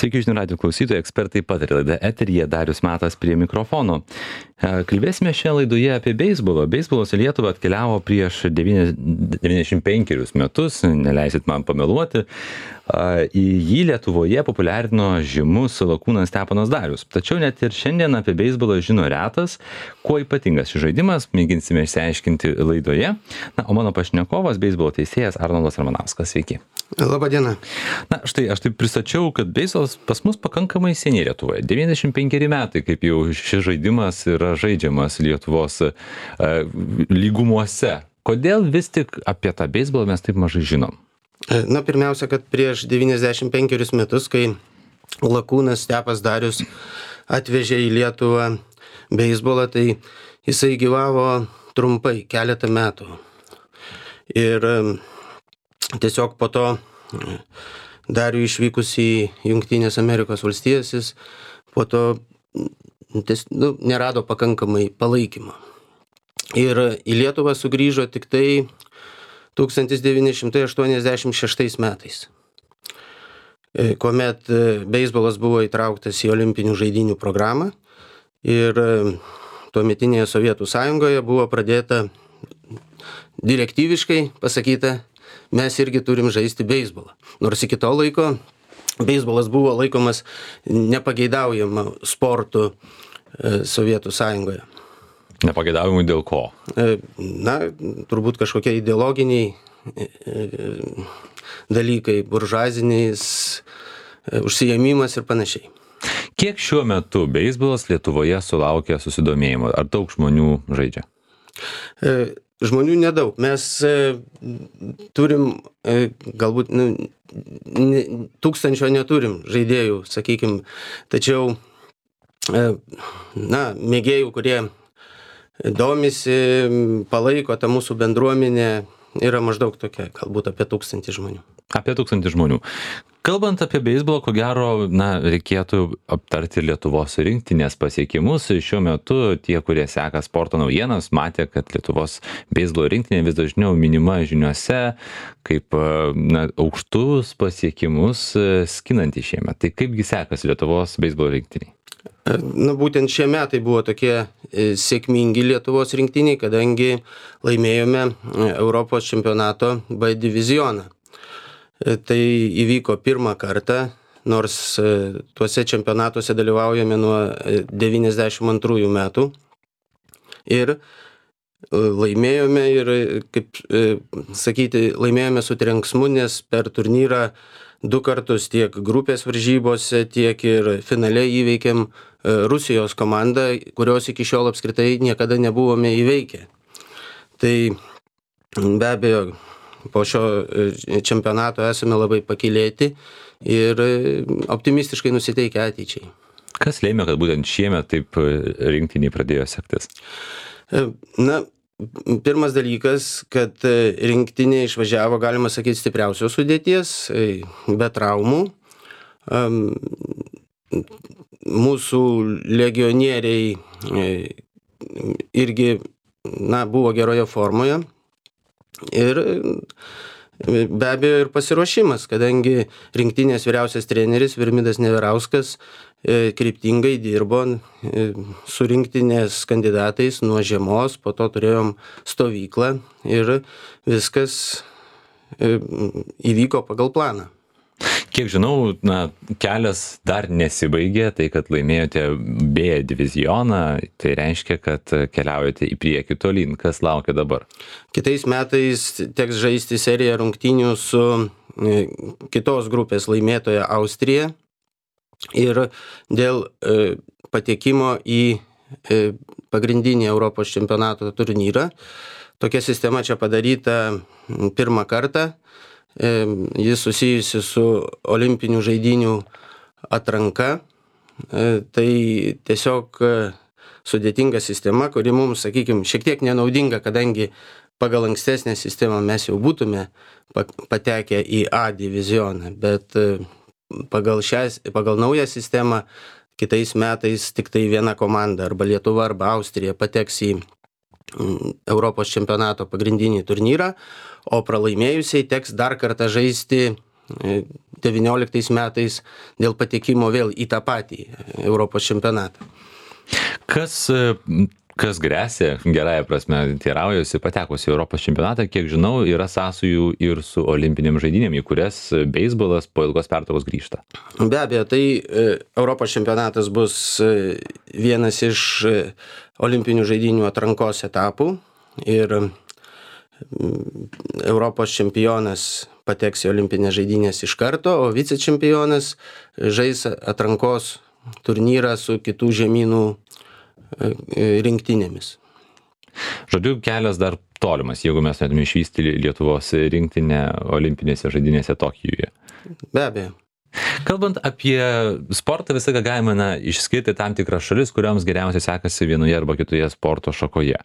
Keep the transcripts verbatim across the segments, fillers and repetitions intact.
Sveiki, žinių radijo klausytojai, ekspertai pataria laida eteryje, Darius Matas prie mikrofono. Kalbėsime šią laidoje apie beisbolą. Beisbolas į Lietuvą atkeliavo prieš devyniasdešimt penkerius metus, neleisit man pameluoti. Į jį Lietuvoje populiarino žymus lakūnas Steponas Darius. Tačiau net ir šiandien apie beisbolą žino retas. Kuo ypatingas šis žaidimas, mėginsime išsiaiškinti laidoje. Na, o mano pašnekovas beisbolo teisėjas Arnoldas Ramanauskas. Sveiki. Labą dieną. Na, štai aš taip pristačiau, kad beisbolas pas mus pakankamai seniai Lietuvoje. devyniasdešimt penkeri metai, kaip jau šis žaidimas yra žaidžiamas Lietuvos uh, lygumuose. Kodėl vis tik apie tą beisbolą mes taip mažai žinom? Na, pirmiausia, kad prieš devyniasdešimt penkerius metus, kai lakūnas Stepas Darius atvežė į Lietuvą beisbolą, tai jisai gyvavo trumpai, keletą metų. Ir tiesiog po to Dariui išvykus į Jungtinės Amerikos valstijas, jis po to ties, nu, nerado pakankamai palaikymo. Ir į Lietuvą sugrįžo tik tai tūkstantis devyni šimtai aštuoniasdešimt šeštais metais, kuomet beisbolas buvo įtrauktas į Olimpinių žaidynių programą ir tuometinėje Sovietų Sąjungoje buvo pradėta direktyviškai pasakyta, mes irgi turim žaisti beisbolą. Nors iki to laiko beisbolas buvo laikomas nepageidaujama sportu Sovietų Sąjungoje. Nepageidaujamų dėl ko? Na, turbūt kažkokie ideologiniai dalykai, buržuaziniais užsiėmimas ir panašiai. Kiek šiuo metu beisbolas Lietuvoje sulaukia susidomėjimo? Ar daug žmonių žaidžia? Žmonių nedaug. Mes turim, galbūt nu, tūkstančio neturim žaidėjų, sakykim, tačiau na, mėgėjų, kurie domisi, palaiko tą mūsų bendruomenę, yra maždaug tokia, galbūt apie tūkstantį žmonių. Apie tūkstantį žmonių. Kalbant apie beisbolą, ko gero, na, reikėtų aptarti Lietuvos rinktinės pasiekimus. Šiuo metu tie, kurie seka sporto naujienas, matė, kad Lietuvos beisbolo rinktinė vis dažniau minima žiniuose kaip na, aukštus pasiekimus skinantį šiemet. Tai kaipgi sekasi Lietuvos beisbolo rinktiniai? Na, būtent šie metai buvo tokie sėkmingi Lietuvos rinktiniai, kadangi laimėjome Europos čempionato B divizioną. Tai įvyko pirmą kartą, nors tuose čempionatuose dalyvaujame nuo devyniasdešimt antrųjų metų. Ir laimėjome ir, kaip sakyti, laimėjome su trenksmu, nes per turnyrą du kartus tiek grupės varžybose, tiek ir finale įveikėm Rusijos komandą, kurios iki šiol apskritai niekada nebuvome įveikę. Tai be abejo, po šio čempionato esame labai pakylėti ir optimistiškai nusiteikę ateičiai. Kas lėmė, kad būtent šiemet taip rinktiniai pradėjo sektis? Na, pirmas dalykas, kad rinktinė išvažiavo, galima sakyti, stipriausios sudėties, be traumų. Mūsų legionieriai irgi na, buvo geroje formoje. Ir be abejo ir pasiruošimas, kadangi rinktinės vyriausias treneris Virmidas Neverauskas kryptingai dirbo su rinktinės kandidatais nuo žiemos, po to turėjom stovyklą ir viskas įvyko pagal planą. Kiek žinau, na, kelias dar nesibaigė, tai kad laimėjote B divizioną, tai reiškia, kad keliaujate į priekį tolyn. Kas laukia dabar? Kitais metais teks žaisti seriją rungtynių su kitos grupės laimėtoja Austrija ir dėl patekimo į pagrindinį Europos čempionato turnyrą. Tokia sistema čia padaryta pirmą kartą. Jis susijusi su olimpinių žaidynių atranka. Tai tiesiog sudėtinga sistema, kuri mums, sakykime, šiek tiek nenaudinga, kadangi pagal ankstesnę sistemą mes jau būtume patekę į A divizioną, bet pagal, šią, pagal naują sistemą kitais metais tik tai viena komanda, arba Lietuva, arba Austrija pateks į Europos čempionato pagrindinį turnyrą, o pralaimėjusiai teks dar kartą žaisti devynioliktais metais dėl patekimo vėl į tą patį Europos čempionatą. Kas, kas grėsia, gerąją prasme, teiraujuosi, patekus į Europos čempionatą, kiek žinau, yra sąsajų ir su olimpinėm žaidynėm, į kurias beisbolas po ilgos pertraukos grįžta. Be abejo, tai Europos čempionatas bus vienas iš olimpinių žaidynių atrankos etapų ir Europos čempionas pateks į olimpinės žaidynės iš karto, o vicečempionas žais atrankos turnyrą su kitų žemynų rinktinėmis. Žodžiu, kelias dar tolimas, jeigu mes norėtume išvysti Lietuvos rinktinę olimpinėse žaidynėse Tokijuje. Be abejo. Kalbant apie sportą, visą ką galime na, išskirti tam tikras šalis, kurioms geriausiai sekasi vienoje arba kitoje sporto šakoje.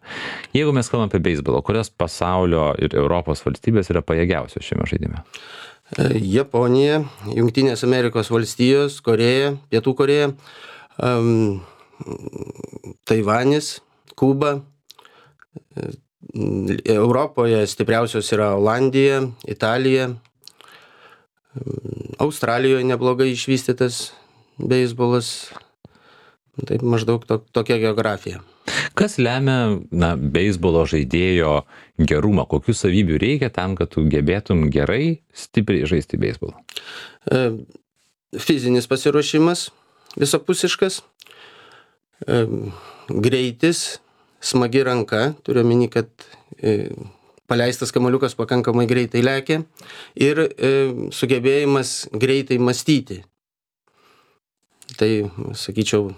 Jeigu mes kalbam apie beisbolą, kurios pasaulio ir Europos valstybės yra pajėgiausios šiame žaidime? Japonija, Jungtinės Amerikos valstijos, Koreja, Pietų Koreja, um, Taivanis, Kuba. Europoje stipriausios yra Olandija, Italija. Australijoje neblogai išvystytas beisbolas. Taip maždaug to, tokia geografija. Kas lemia na, beisbolo žaidėjo gerumą? Kokių savybių reikia tam, kad tu gebėtum gerai, stipriai žaisti beisbolą? E, fizinis pasiruošimas visapusiškas, e, greitis, smagi ranka, turiu omeny, kad e, paleistas kamuoliukas pakankamai greitai lekia ir e, sugebėjimas greitai mąstyti. Tai, sakyčiau,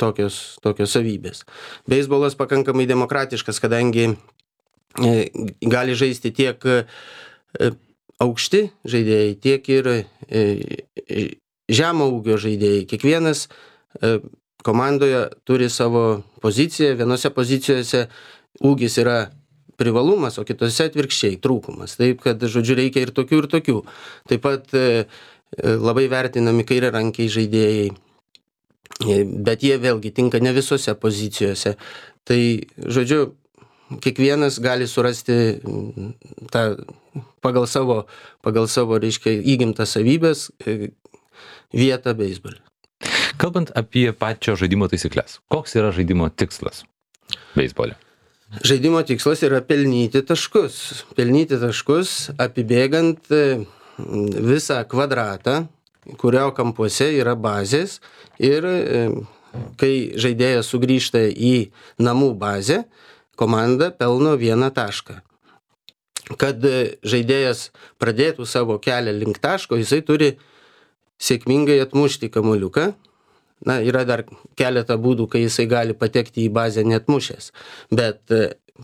tokios, tokios savybės. Beisbolas pakankamai demokratiškas, kadangi e, gali žaisti tiek e, aukšti žaidėjai, tiek ir e, žemo ūgio žaidėjai. Kiekvienas e, komandoje turi savo poziciją, vienose pozicijose ūgis yra privalumas, o kitose atvirkščiai trūkumas. Taip, kad, žodžiu, reikia ir tokių, ir tokių. Taip pat e, labai vertinami kairiarankiai žaidėjai, bet jie vėlgi tinka ne visose pozicijose. Tai, žodžiu, kiekvienas gali surasti tą pagal savo, pagal savo, reiškia, įgimtas savybės vietą beisbole. Kalbant apie pačio žaidimo taisyklės, koks yra žaidimo tikslas beisbole? Žaidimo tikslas yra pelnyti taškus. Pelnyti taškus apibėgant visą kvadratą, kurio kampuose yra bazės ir kai žaidėjas sugrįžta į namų bazę, komanda pelno vieną tašką. Kad žaidėjas pradėtų savo kelią link taško, jisai turi sėkmingai atmušti kamuoliuką. Na, yra dar keletą būdų, kai jisai gali patekti į bazę neatmušęs. Bet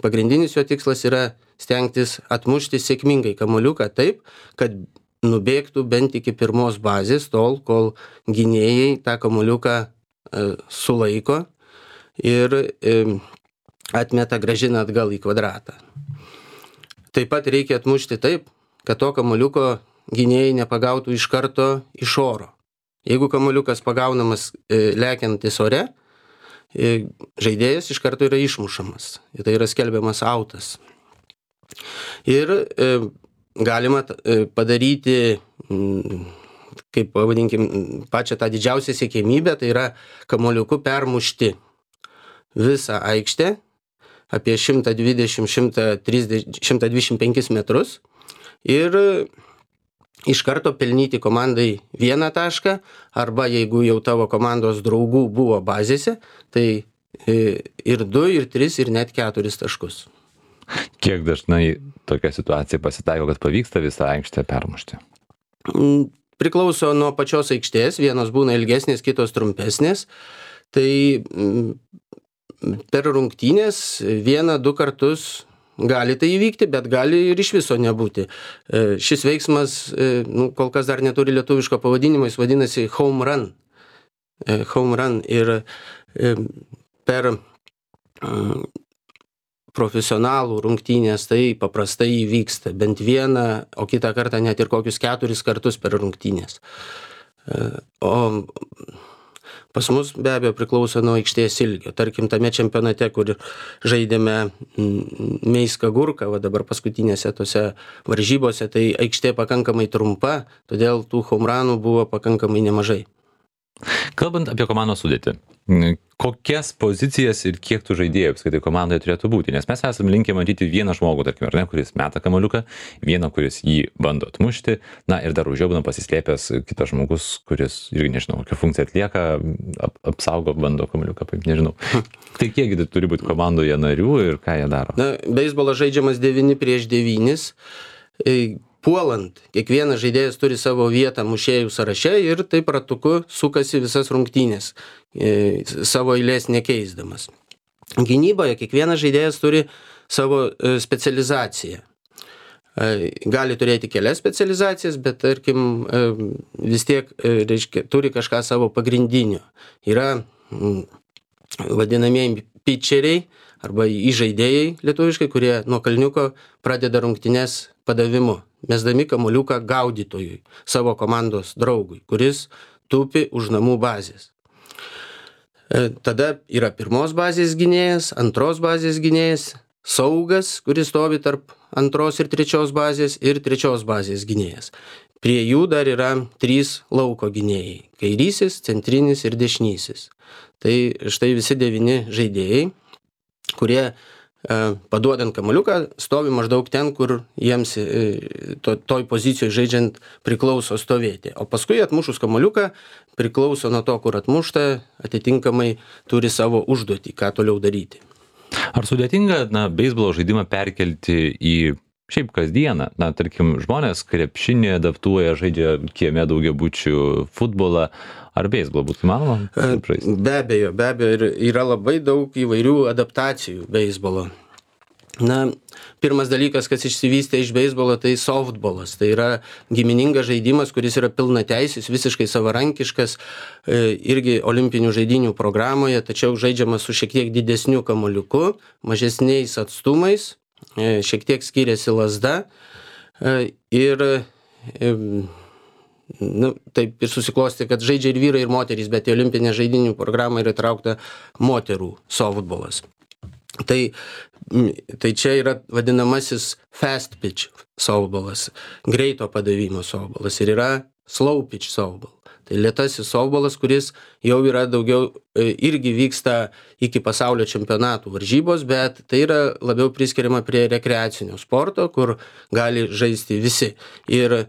pagrindinis jo tikslas yra stengtis atmušti sėkmingai kamuoliuką taip, kad nubėgtų bent iki pirmos bazės, tol, kol gynėjai tą kamuoliuką e, sulaiko ir e, atmeta grąžina atgal į kvadratą. Taip pat reikia atmušti taip, kad to kamuoliuko gynėjai nepagautų iš karto iš oro. Jeigu kamuoliukas pagaunamas e, lekiantis ore, e, žaidėjas iš karto yra išmušamas. Tai yra skelbiamas autas. Ir e, galima padaryti, kaip pavadinkim, pačią tą didžiausią siekėmybę, tai yra kamuoliuku permušti visą aikštę apie šimtą dvidešimt iki šimto dvidešimt penkis metrus ir iš karto pelnyti komandai vieną tašką, arba jeigu jau tavo komandos draugų buvo bazėse, tai ir du, ir tris, ir net keturis taškus. Kiek dažnai tokia situacija pasitaiko, kad pavyksta visą aikštę permušti? Priklauso nuo pačios aikštės, vienos būna ilgesnės, kitos trumpesnės. Tai per rungtynės vieną, du kartus gali tai įvykti, bet gali ir iš viso nebūti. Šis veiksmas, nu, kol kas dar neturi lietuviško pavadinimo, jis vadinasi home run. Home run ir per profesionalų rungtynės tai paprastai įvyksta bent vieną, o kitą kartą net ir kokius keturis kartus per rungtynės. O Pas mus be abejo priklauso nuo aikštės ilgio. Tarkim, tame čempionate, kur žaidėme Meiska Gurka, va dabar paskutinėse tose varžybose, tai aikštė pakankamai trumpa, todėl tų homeranų buvo pakankamai nemažai. Kalbant apie komandos sudėtį, kokias pozicijas ir kiek tų žaidėjų apskritai komandoje turėtų būti? Nes mes esame linkę matyti vieną žmogų, tarkim, ar ne, kuris meta kamuoliuką, vieną, kuris jį bando atmušti, na ir dar už jo būna pasislėpęs kitas žmogus, kuris irgi nežinau, kokią funkciją atlieka, ap, apsaugo, bando kamuoliuką, kaip nežinau. Tai kiekgi turi būti komandoje narių ir ką jie daro? Na, beisbolas žaidžiamas devyni prieš devynis. Puolant, kiekvienas žaidėjas turi savo vietą mušėjų sąraše ir taip ratuku sukasi visas rungtynės, e, savo eilės nekeisdamas. Gynyboje kiekvienas žaidėjas turi savo e, specializaciją. E, gali turėti kelias specializacijas, bet tarkim e, vis tiek e, reiškia, turi kažką savo pagrindinio. Yra m, vadinamieji pitcheriai arba įžaidėjai lietuviškai, kurie nuo kalniuko pradeda rungtynes padavimu, mesdami kamuoliuką gaudytojui, savo komandos draugui, kuris tupi už namų bazės. Tada yra pirmos bazės gynėjas, antros bazės gynėjas, saugas, kuris stovi tarp antros ir trečios bazės ir trečios bazės gynėjas. Prie jų dar yra trys lauko gynėjai - kairysis, centrinis ir dešinysis. Tai štai visi devyni žaidėjai, kurie paduodant kamuoliuką, stovi maždaug ten, kur jiems to, toj pozicijoje žaidžiant priklauso stovėti. O paskui atmušus kamuoliuką, priklauso nuo to, kur atmušta, atitinkamai turi savo užduotį, ką toliau daryti. Ar sudėtinga, na, beisbolo žaidimą perkelti į šiaip kasdieną? Na, tarkim, žmonės krepšinį adaptuoja, žaidžia kieme daugiabučių futbolą. Ar beisbolą būtų įmanoma? Be abejo, be abejo, ir yra labai daug įvairių adaptacijų beisbolo. Na, pirmas dalykas, kas išsivystė iš beisbolo, tai softbolas. Tai yra giminingas žaidimas, kuris yra pilnateisis, visiškai savarankiškas, irgi olimpinių žaidynių programoje, tačiau žaidžiamas su šiek tiek didesniu kamuoliuku, mažesniais atstumais, šiek tiek skiriasi lazda ir nu, taip ir susiklosti, kad žaidžia ir vyrai, ir moterys, bet į olimpinę žaidynių programą yra įtraukta moterų softbolas. Tai, tai čia yra vadinamasis fast pitch softbolas, greito padavimo softbolas ir yra slow pitch softball. Tai lėtasis softbolas, kuris jau yra daugiau, irgi vyksta iki pasaulio čempionatų varžybos, bet tai yra labiau priskiriama prie rekreacinio sporto, kur gali žaisti visi. Ir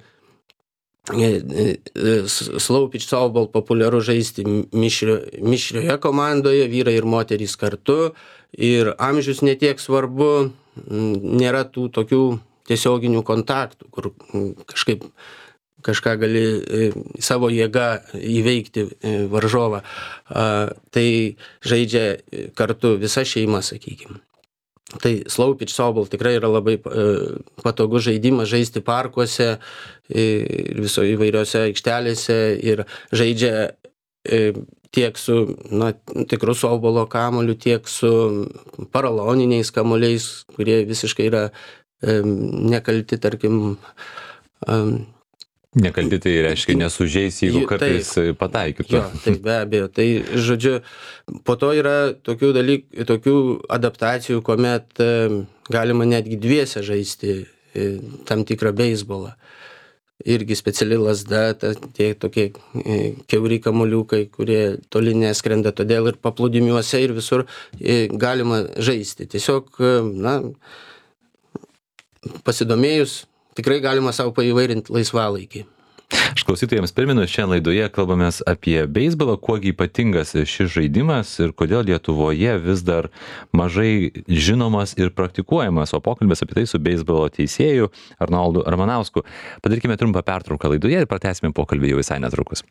slow pitch softball populiaru žaisti mišrio, mišrioje komandoje, vyrai ir moterys kartu, ir amžius netiek svarbu, nėra tų tokių tiesioginių kontaktų, kur kažkaip kažką gali savo jėgą įveikti varžovą. Tai žaidžia kartu visa šeima, sakykime. Tai slow pitch softball tikrai yra labai patogus žaidimas žaisti parkuose ir viso įvairiose aikštelėse ir žaidžia tiek su na, tikru softbolo kamuoliu, tiek su paraloniniais kamuoliais, kurie visiškai yra nekalti, tarkim. Nekalti tai reiškia nesužeis, jeigu kartais taip, pataikytų. Jo, tai be abejo. Tai, žodžiu, po to yra tokių dalykų, tokių adaptacijų, kuomet galima netgi dviese žaisti tam tikrą beisbolą. Irgi speciali lazda, ta, tie tokie kiauri kamuoliukai, kurie toli neskrenda, todėl ir paplūdimiuose ir visur galima žaisti. Tiesiog, na, pasidomėjus, tikrai galima savo paįvairinti laisvalaikį. Aš klausytojams primenu, šiandien laidoje kalbamės apie beisbolą, kuogi ypatingas šis žaidimas ir kodėl Lietuvoje vis dar mažai žinomas ir praktikuojamas, o pokalbės apie tai su beisbolo teisėju Arnoldu Ramanausku. Padarykime trumpą pertrauką laidoje ir pratęsime pokalbį jau visai netrukus.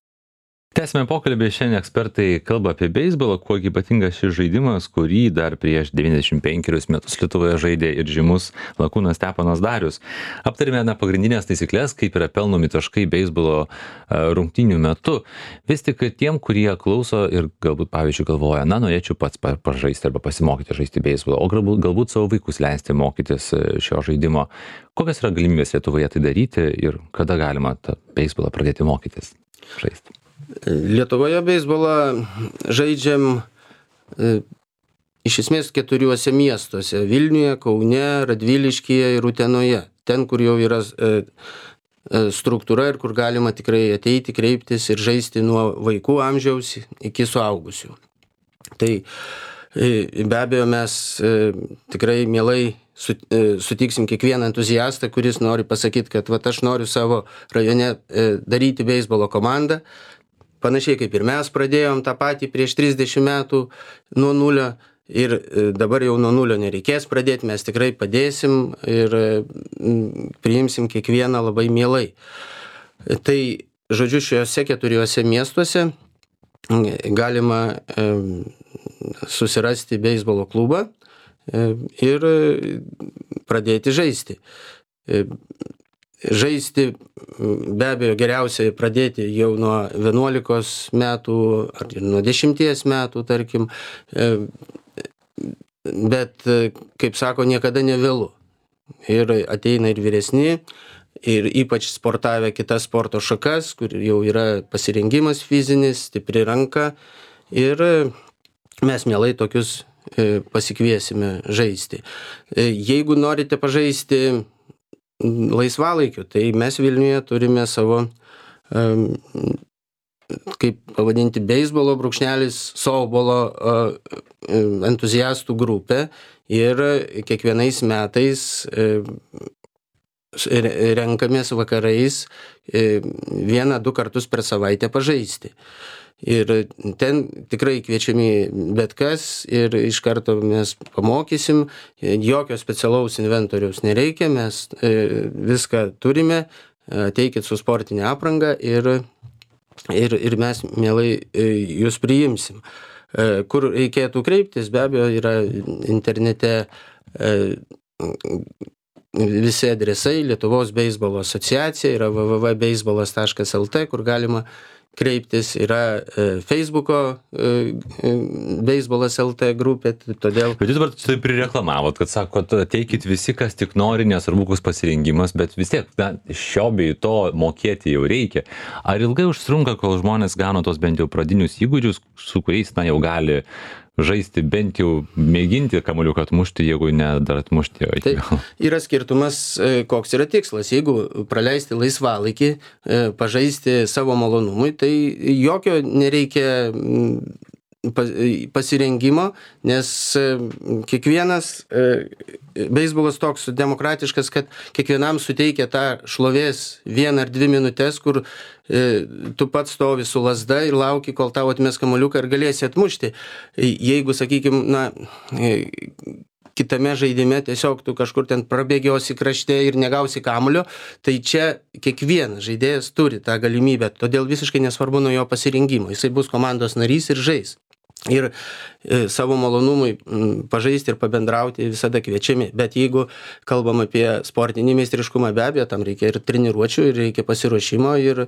Tęsime pokalbį, šiandien ekspertai kalba apie beisbolą, kuo ypatingas šis žaidimas, kurį dar prieš devyniasdešimt penkerius metus Lietuvoje žaidė ir žymus lakūnas Steponas Darius. Aptarėme na, pagrindinės taisyklės, kaip yra pelnomi taškai beisbolo rungtynių metu. Vis tik tiem, kurie klauso ir galbūt, pavyzdžiui, galvoja, na, norėčiau pats pažaisti arba pasimokyti žaisti beisbolą, o galbūt, galbūt savo vaikus leisti mokytis šio žaidimo. Kokios yra galimybės Lietuvoje tai daryti ir kada galima tą beisbolą pradėti mokytis žaisti? Lietuvoje beisbolą žaidžiam e, iš esmės keturiuose miestuose - Vilniuje, Kaune, Radviliškyje ir Utenoje. Ten, kur jau yra e, e, struktūra ir kur galima tikrai ateiti, kreiptis ir žaisti nuo vaikų amžiaus iki suaugusių. Tai e, be abejo mes e, tikrai mielai su, e, sutiksim kiekvieną entuziastą, kuris nori pasakyti, kad vat, aš noriu savo rajone e, daryti beisbolo komandą. Panašiai kaip ir mes pradėjom tą patį prieš trisdešimt metų nuo nulio. Ir dabar jau nuo nulio nereikės pradėti, mes tikrai padėsim ir priimsim kiekvieną labai mielai. Tai, žodžiu, šiuose keturiuose miestuose galima susirasti beisbolo klubą ir pradėti žaisti. Žaisti be abejo geriausiai pradėti jau nuo vienuolikos metų ar nuo dešimties metų, tarkim. Bet, kaip sako, niekada nevėlu. Ir ateina ir vyresni, ir ypač sportavę kitas sporto šakas, kur jau yra pasirengimas fizinis, stipri ranka. Ir mes mielai tokius pasikviesime žaisti. Jeigu norite pažaisti laisvalaikiu, tai mes Vilniuje turime savo, kaip pavadinti, beisbolo brūkšnelis softbolo entuziastų grupę ir kiekvienais metais renkamės vakarais vieną, du kartus per savaitę pažaisti. Ir ten tikrai kviečiami bet kas ir iš karto mes pamokysim, jokio specialaus inventoriaus nereikia, mes viską turime, ateikit su sportinė apranga ir Ir, ir mes mielai jūs priimsim. Kur reikėtų kreiptis, be abejo, yra internete visi adresai, Lietuvos beisbolo asociacija, yra w w w taškas beisbolas taškas l t, kur galima kreiptis, yra Facebooko beisbolas lt grupė, todėl... Bet jūs dabar taip prireklamavot, kad sakot, ateikit visi, kas tik nori, nesvarbu koks pasirengimas, bet vis tiek, na, šio bei to mokėti jau reikia. Ar ilgai užtrunka, kol žmonės gano tos bent jau pradinius įgūdžius, su kuriais, na, jau gali žaisti, bent jau mėginti kamuoliuką atmušti, jeigu ne dar atmušti. Tai yra skirtumas, koks yra tikslas. Jeigu praleisti laisvalaikį, pažaisti savo malonumui, tai jokio nereikia pasirengimo, nes kiekvienas beisbolas toks demokratiškas, kad kiekvienam suteikia tą šlovės vieną ar dvi minutės, kur tu pats stovi su lazda ir lauki, kol tau atmes kamuoliuką ir galėsi atmušti. Jeigu, sakykime, na, kitame žaidime tiesiog tu kažkur ten prabėgiosi krašte ir negausi kamuolio, tai čia kiekvienas žaidėjas turi tą galimybę, todėl visiškai nesvarbu nuo jo pasirinkimo. Jisai bus komandos narys ir žais. Ir e, savo malonumui m, pažaisti ir pabendrauti visada kviečiami. Bet jeigu kalbam apie sportinį meistriškumą, be abejo, tam reikia ir treniruočių, ir reikia pasiruošimo, ir,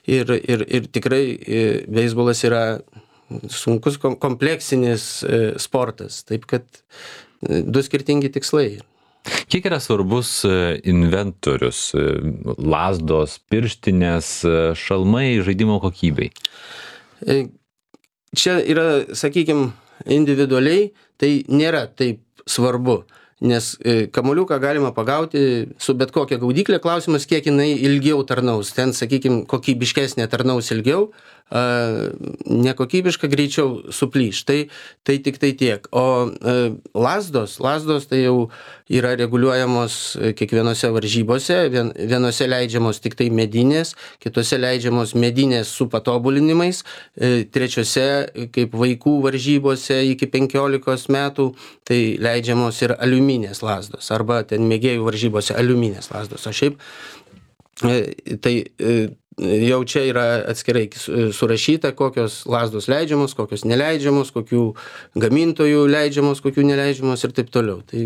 ir, ir, ir tikrai e, beisbolas yra sunkus kompleksinis e, sportas. Taip kad e, du skirtingi tikslai. Kiek yra svarbus inventorius, lazdos, pirštinės, šalmai žaidimo kokybei? E, Čia yra, sakykime, individualiai, tai nėra taip svarbu, nes kamuoliuką galima pagauti su bet kokia gaudyklė, klausimas, kiek jinai ilgiau tarnaus. Ten, sakykime, kokybiškesnė tarnaus ilgiau, nekokybiška greičiau suplyš. Tai, tai tik tai tiek. O lazdos, lazdos tai jau yra reguliuojamos kiekvienose varžybose, Vien, vienose leidžiamos tik tai medinės, kitose leidžiamos medinės su patobulinimais, trečiose, kaip vaikų varžybose iki penkiolikos metų, tai leidžiamos ir aliuminės lazdos, arba ten mėgėjų varžybose aliuminės lazdos. O šiaip tai jau čia yra atskirai surašyta, kokios lazdos leidžiamos, kokios neleidžiamos, kokių gamintojų leidžiamos, kokių neleidžiamos ir taip toliau. Tai,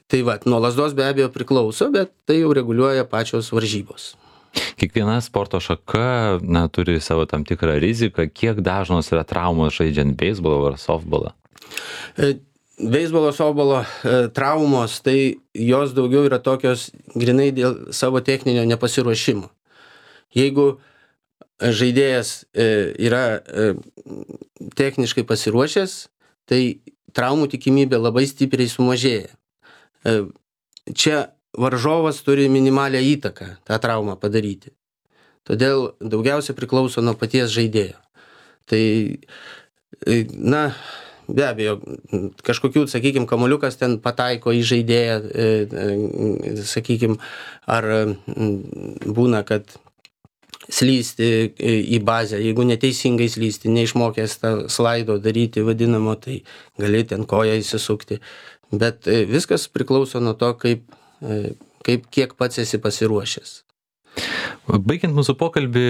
tai va, nuo lazdos be abejo priklauso, bet tai jau reguliuoja pačios varžybos. Kiekviena sporto šaka, na, turi savo tam tikrą riziką. Kiek dažnos yra traumos žaidžiant beisbolą ar softbolą? Beisbolo, softbolo e, traumos, tai jos daugiau yra tokios grinai dėl savo techninio nepasiruošimo. Jeigu žaidėjas yra techniškai pasiruošęs, tai traumų tikimybė labai stipriai sumažėja. Čia varžovas turi minimalią įtaką tą traumą padaryti. Todėl daugiausia priklauso nuo paties žaidėjo. Tai, na, be abejo, kažkokių, sakykime, kamuoliukas ten pataiko į žaidėją, sakykime, ar būna, kad slysti į bazę, jeigu neteisingai slysti, neišmokęs tą slaido daryti vadinamo, tai gali ten koją įsisukti. Bet viskas priklauso nuo to, kaip, kaip kiek pats esi pasiruošęs. Baigiant mūsų pokalbį,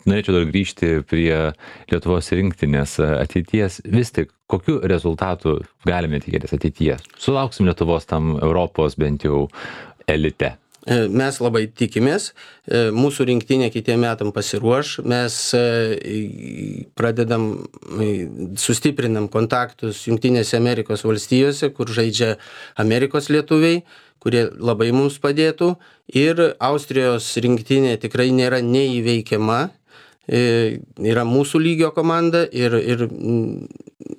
norėčiau dar grįžti prie Lietuvos rinktinės ateities. Vis tik, kokiu rezultatu galime tikėtis ateityje? Sulauksim Lietuvos tam Europos bent jau elite. Mes labai tikimės, mūsų rinktinė kitiem metam pasiruoš, mes pradedam, sustiprinam kontaktus Jungtinėse Amerikos valstijose, kur žaidžia Amerikos lietuviai, kurie labai mums padėtų, ir Austrijos rinktinė tikrai nėra neįveikiama, yra mūsų lygio komanda ir, ir,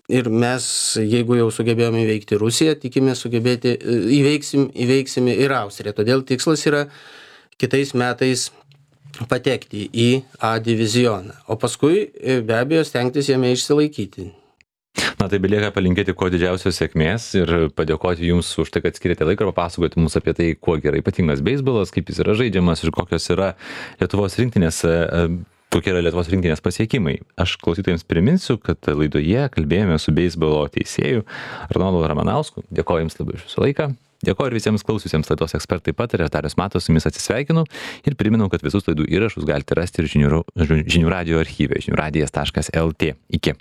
ir mes, jeigu jau sugebėjome įveikti Rusiją, tikime sugebėti, įveiksim, įveiksime ir Austriją. Todėl tikslas yra kitais metais patekti į A divizioną, o paskui be abejo stengtis jame išsilaikyti. Na, tai belieka palinkėti kuo didžiausios sėkmės ir padėkoti Jums už tai, kad skirėte laiką ir papasakoti mums apie tai, kuo yra ypatingas beisbolas, kaip jis yra žaidžiamas ir kokios yra Lietuvos rinktinės kokie yra Lietuvos rinktinės pasiekimai. Aš klausytojams priminsiu, kad laidoje kalbėjome su beisbolo teisėju Arnoldu Ramanausku. Dėkoju Jums labai už Jūsų laiką. Dėkoju ir visiems klausiusiems laidos ekspertai pataria. Darius Matas su Jumis atsisveikinu ir priminau, kad visus laidų įrašus galite rasti ir žinių, žinių radijo archyve žinių radijas taškas el tė. Iki.